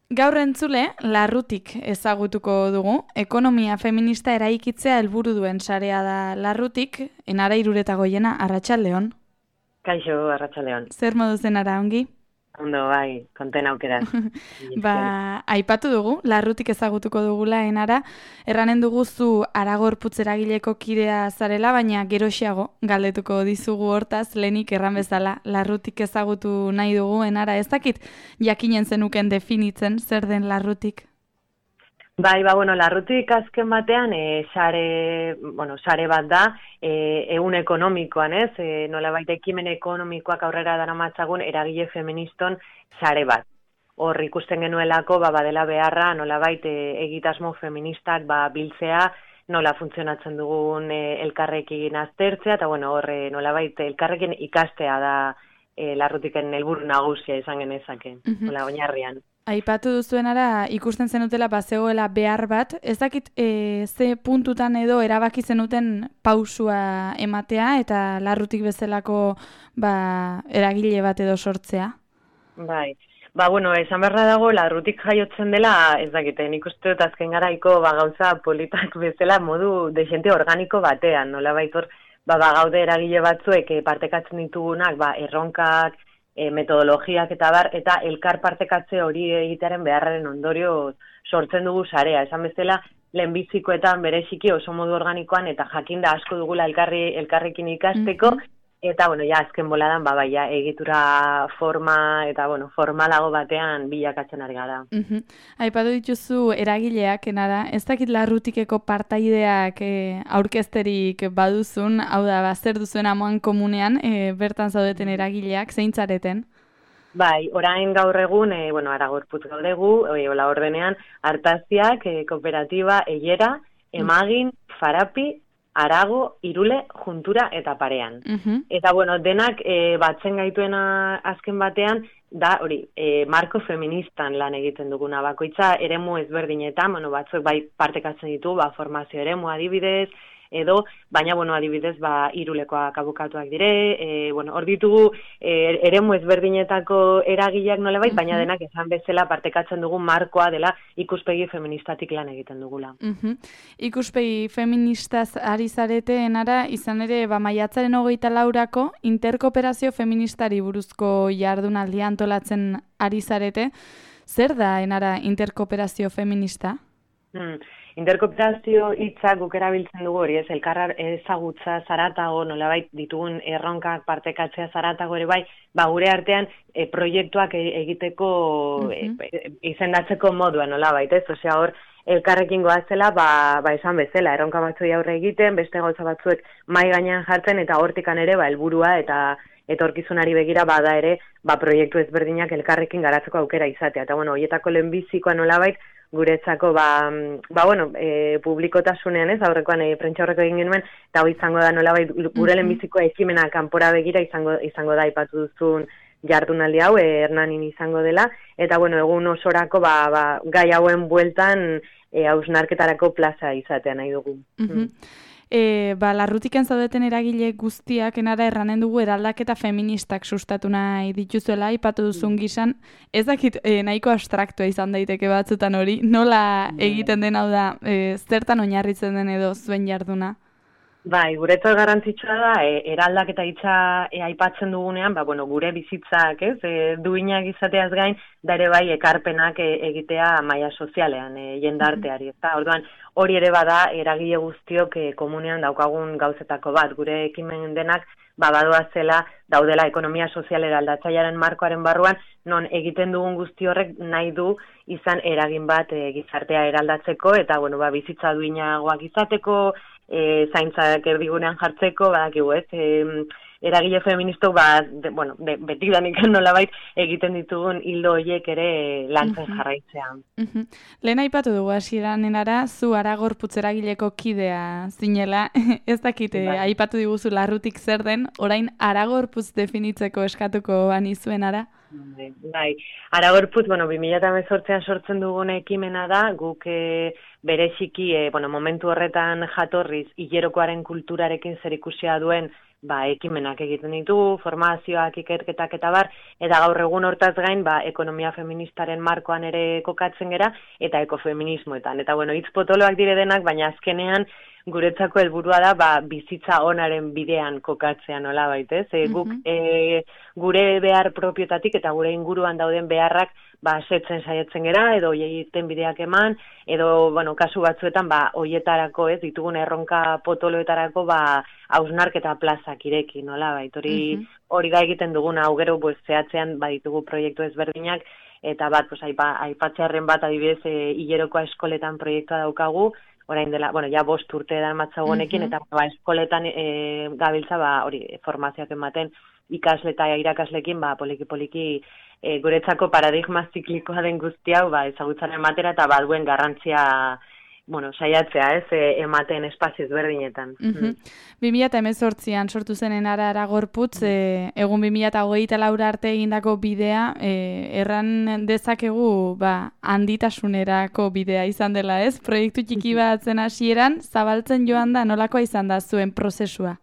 Gaur entzule, Larrutik ezagutuko dugu. Ekonomia feminista eraikitzea helburu duen sarea da Larrutik, Enara Irureta Goiena, arratsaldeon. Kaixo, arratsaldeon. Zer modu zen ara ongi? Ondo, bai, konten aukeraz. Aipatu dugu, Larrutik ezagutuko dugula Enara, erranen dugu zu Aragorputz eragileko kidea zarela, baina geroxiago galdetuko dizugu hortaz, lehenik erran bezala, Larrutik ezagutu nahi dugu Enara, ez dakit jakinen zenuken definitzen zer den Larrutik? Bai, Larrutik azken batean, sare bat da, ehun ekonomikoan, ez? Nolabait ekimen ekonomikoak aurrera daramatzagun eragile feministon sare bat. Hor ikusten genuelako, badela beharra, nolabait egitasmo feministak biltzea, nola funtzionatzen dugun elkarrekin aztertzea, eta hor nolabait elkarrekin ikastea da Larrutiken helburu nagusia izan genezake, nola oinarrian. Aipatu duzuenara ikusten zenutela bazegoela behar bat, ez dakit ze puntutan edo erabaki zenuten pausua ematea eta Larrutik bezalako eragile bat edo sortzea? Bai, esan beharra dago Larrutik jaiotzen dela, ez dakite, nik uste dut azken garaiko gauza politak bezala modu dexente organiko batean, nola baitor, gaude eragile batzuek partekatzen ditugunak, erronkak, metodologiak eta elkar partekatze hori egitearen beharraren ondorio sortzen dugu sarea. Esan bezala, lehenbizikoetan bereziki oso modu organikoan eta jakinda asko dugula elkarrekin ikasteko, eta azken boladan egitura forma eta formalago batean bilakatzen ari gara. Aipatu dituzu eragileak, Enara, ez dakit Larrutikeko partaideak aurkezterik baduzun, hau da, zer duzuen amoan komunean, bertan zaudeten eragileak, zein zareten? Bai, orain gaur egun, Aragorputz gaudegu, hola ordenean, Artaziak, kooperatiba, Eiera, Emagin, Farapi, Arago, Irule, Juntura eta Parean. Eta, denak batzen gaituena azken batean, da hori, marko feministan lan egiten duguna bakoitza, eremu ezberdinetan, batzuk partekatzen ditu, formazio eremu adibidez, edo, baina, adibidez, Irulekoak abokatuak dire, hor ditugu eremu ezberdinetako eragileak nolabait, baina denak esan bezala partekatzen dugu markoa dela ikuspegi feministatik lan egiten dugula. Ikuspegi feministaz ari zarete, Enara, izan ere, maiatzaren 24 interkooperazio feministari buruzko jardunaldia antolatzen ari zarete. Zer da, Enara, interkooperazio feminista? Interkooperazio hitzak guk erabiltzen dugu hori, ez, elkarra ezagutza zaratago, nolabait ditugun erronkak partekatzea zaratago ere gure artean proiektuak egiteko izendatzeko modua nolabait, ez, osea hor, elkarrekin goazela, esan bezala, erronka batzui aurre egiten, beste gauza batzuek mai gainean jartzen, eta hortikan ere, helburua eta etorkizunari begira bada ere, proiektu ezberdinak elkarrekin garatzeko aukera izatea. Eta, horietako lehenbizikoa nolabait, guretzako, publikotasunean ez, aurrekoan prentsa horreko egin genuen, eta hori izango da nolabait, gure lehenbizikoa ekimena kanpora begira izango da aipatu duzun jardunaldi hau, Hernanin izango dela, eta egun osorako gai hauen bueltan hausnarketarako plaza izatea nahi dugu. Larrutiken zaudeten eragile guztiak, Enara, erranen dugu eraldaketa feministak sustatu nahi dituzuela, aipatu duzun gizan, ez dakit nahiko abstraktua izan daiteke batzutan hori, nola egiten den, hau da, zertan oinarritzen den edo zuen jarduna? Bai, guretzat garrantzitsua da, eraldaketa hitza aipatzen dugunean, gure bizitzak, ez, duinak izateaz gain, da ere ekarpenak egitea maila sozialean, jendarteari, ezta? Orduan, hori ere bada, eragile guztiok komunean daukagun gauzetako bat, gure ekimen denak, badoazela daudela ekonomia sozial eraldatzailearen markoaren barruan, non egiten dugun guzti horrek nahi du izan eragin bat gizartea eraldatzeko, eta bizitza duinagoak izateko, zaintzak erdigunean jartzeko, badakigu ez, eragile feministok beti danik nolabait egiten ditugun hildo horiek ere lantzen jarraitzea. Lehen aipatu dugu hasieran, Enara, zu Aragorputz eragileko kidea zinela, ez dakit aipatu diguzu Larrutik zer den, orain Aragorputz definitzeko eskatuko banizuen, Ara? Bai, Aragorputz, 2018an sortzen dugun ekimena da, guk bereziki, momentu horretan jatorriz, hilerokoaren kulturarekin zerikusia duen ekimenak egiten ditugu, formazioak, ikerketak eta bar, eta gaur egun hortaz gain, ekonomia feministaren markoan ere kokatzen gera, eta ekofeminismoetan. Eta bueno, hitz potoloak dire denak, baina azkenean guretzako helburua da bizitza onaren bidean kokatzea nolabait, ez? Guk gure behar propiotatik eta gure inguruan dauden beharrak setzen saiatzen gera, edo hoieiten bideak eman, edo, kasu batzuetan, hoietarako, ez, ditugun erronka potoloetarako, hausnarketa plazak ireki, nolabait, hori da egiten duguna, hau gero, zehatzean, ditugu proiektu ezberdinak, eta aipatzearren bat, adibidez, hilerokoa eskoletan proiektua daukagu, orain dela, ja 5 urte edan matzagonekin, eta eskoletan gabiltza, formazioak ematen, ikasle eta irakaslekin, poliki-poliki guretzako paradigma ziklikoa den guzti hau, ezagutzaren matera eta duen garrantzia, saiatzea, ez, ematen espazio ezberdinetan. 2018an sortu zenen Aragorputz, egun 2024 arte egindako bidea, erran dezakegu, handitasunerako bidea izan dela, ez? Proiektu txiki bat zen hasieran, zabaltzen joan da, nolakoa izan da zuen prozesua?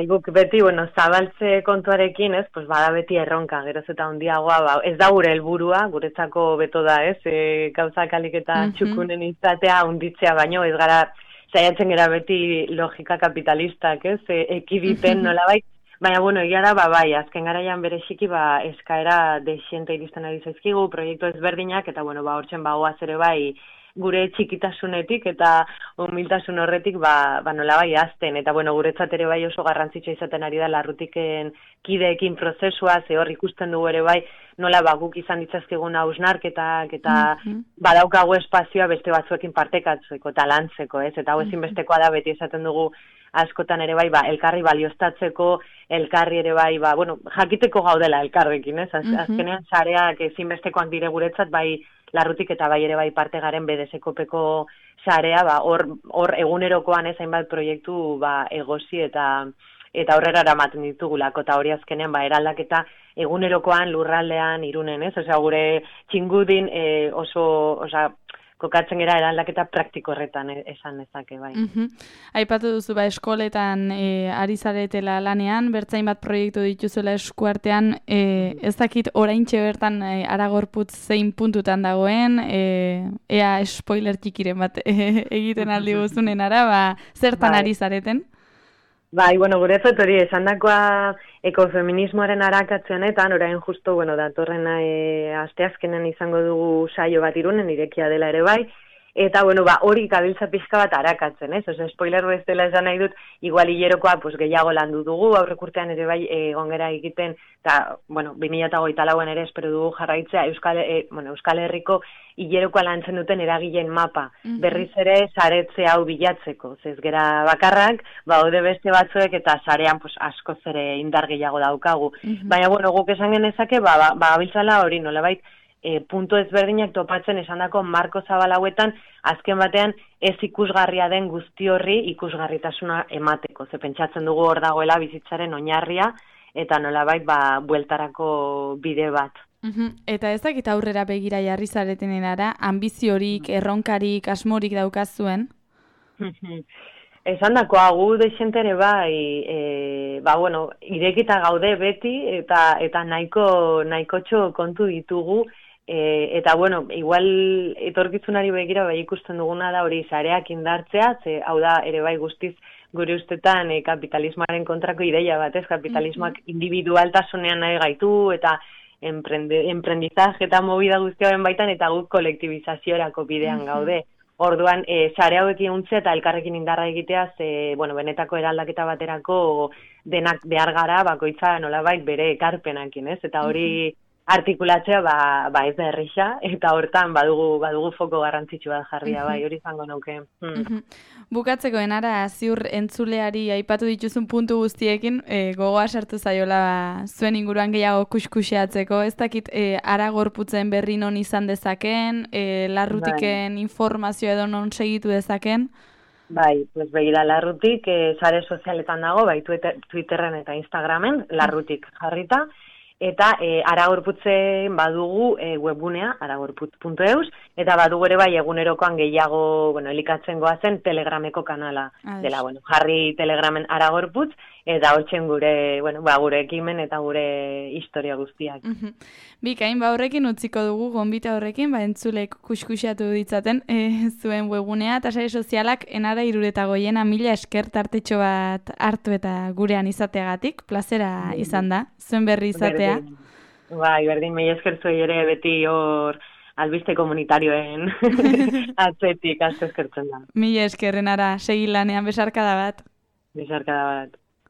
Guk beti, zabaltze kontuarekin, ez, bada beti erronka, geroz eta handiagoa, ez da gure helburua, guretzako beto da, ez, gauzak alik eta txukunen izatea handitzea baino, ez gara, saiatzen gara beti logika kapitalistak, ez, ekiditen nolabait, baina, egia da, azken garaian bereziki, eskaera desiente iristen ari zaizkigu, proiektu ezberdinak, eta, hortzen bagoaz ere gure txikitasunetik eta humiltasun horretik nola azten. Eta guretzat ere oso garrantzitsua izaten ari da Larrutiken kideekin prozesua, hor ikusten dugu ere nola guk izan ditzazkegun hausnarketak eta badaukagu espazioa beste batzuekin partekatzeko eta lantzeko, ez? Eta hau ezinbestekoa da beti esaten dugu askotan ere elkarri balioztatzeko, elkarri ere jakiteko gaudela elkarrekin, ez? Azkenean sareak ezinbestekoak dire guretzat Larrutik eta ere parte garen BDS-kopeko sarea, hor egunerokoan ez hainbat proiektu egosi eta horrera eramaten ditugulako, eta hori azkenean eraldaketa egunerokoan lurraldean Irunen, ez? Osea, gure txingudin oso kokatzen gera eraldaketa praktiko horretan esan nezake, Aipatu duzu, eskoletan ari zaretela lanean, bertzain bat proiektu dituzuela eskuartean, ez dakit oraintxe bertan Aragorputz zein puntutan dagoen, ea spoiler txikiren bat egiten aldi guzunen ara, zertan ari zareten? Guretzat hori esandakoa ekofeminismoaren arakatzen honetan, orain justo, datorren asteazkenen izango dugu saio bat Irunen, irekia dela ere eta, hori gabiltza pixka bat arakatzen, ez? Oso, spoiler bezala esan nahi dut, igual hilerokoa gehiago landu dugu, aurrek urtean ere gongera egiten, eta, 2024an ere espero dugu jarraitzea Euskal Herriko hilerokoa lantzen duten eragileen mapa, berriz ere saretze hau bilatzeko, ez gera bakarrak, haude beste batzuek eta sarean askoz ere indar gehiago daukagu. Baina, guk esan genezake, gabiltzala hori nolabait, puntu ezberdinak topatzen esandako marko zabal hauetan, azken batean ez ikusgarria den guzti horri ikusgarritasuna emateko. Ze pentsatzen dugu hor dagoela bizitzaren oinarria eta nolabait bueltarako bide bat. Eta ez dakit aurrera begira jarri zaretenen ara, ambiziorik, erronkarik, asmorik daukazuen? Esan dakoa, gu dexentere irekita gaude beti eta nahiko kontu ditugu, eta igual etorkizunari begira ikusten duguna da hori sareak indartzea, hau da ere guztiz gure ustetan kapitalismoaren kontrako ideia bat, ez? Kapitalismoak individualtasunean nahi gaitu eta emprendizaje eta movida guztiaren baitan eta guk kolektibizaziorako bidean gaude. Orduan, sare hauekin untzea eta elkarrekin indarra egitea, benetako eraldaketa baterako denak behar gara, bakoitza nolabait bere ekarpenakin, ez? Eta hori artikulatzea, ez da errisa, eta hortan badugu foko garrantzitsu bat jarria, hori izango nuke. Bukatzeko enara, ziur entzuleari aipatu dituzun puntu guztiekin, gogoa sartu zaiola zuen inguruan gehiago kuskuseatzeko, ez dakit Aragorputzen berri non izan dezaken, Larrutiken informazioa edo non segitu dezaken? Begira, Larrutik sare sozialetan dago, Twitterren eta Instagramen, Larrutik jarrita, Eta Aragorputzen badugu webgunea, aragorputz.eus, eta badugu ere bai egunerokoan gehiago, elikatzen goazen Telegrameko kanala dela, jarri Telegramen Aragorputz, eta hortzen gure, gure ekimen eta gure historia guztiak. Bikain, horrekin utziko dugu, gonbita horrekin, entzulek kuskusiatu ditzaten zuen webgunea, eta sare sozialak enara 65 mila esker tartetxo bat hartu eta gurean izateagatik, plazera izan da, zuen berri izatea. Berdin, mila esker zuei ere beti hor albiste komunitarioen atzetik asko eskertzen da. Mila eskerren ara, segi lanean, besarkada bat. Besarkada bat.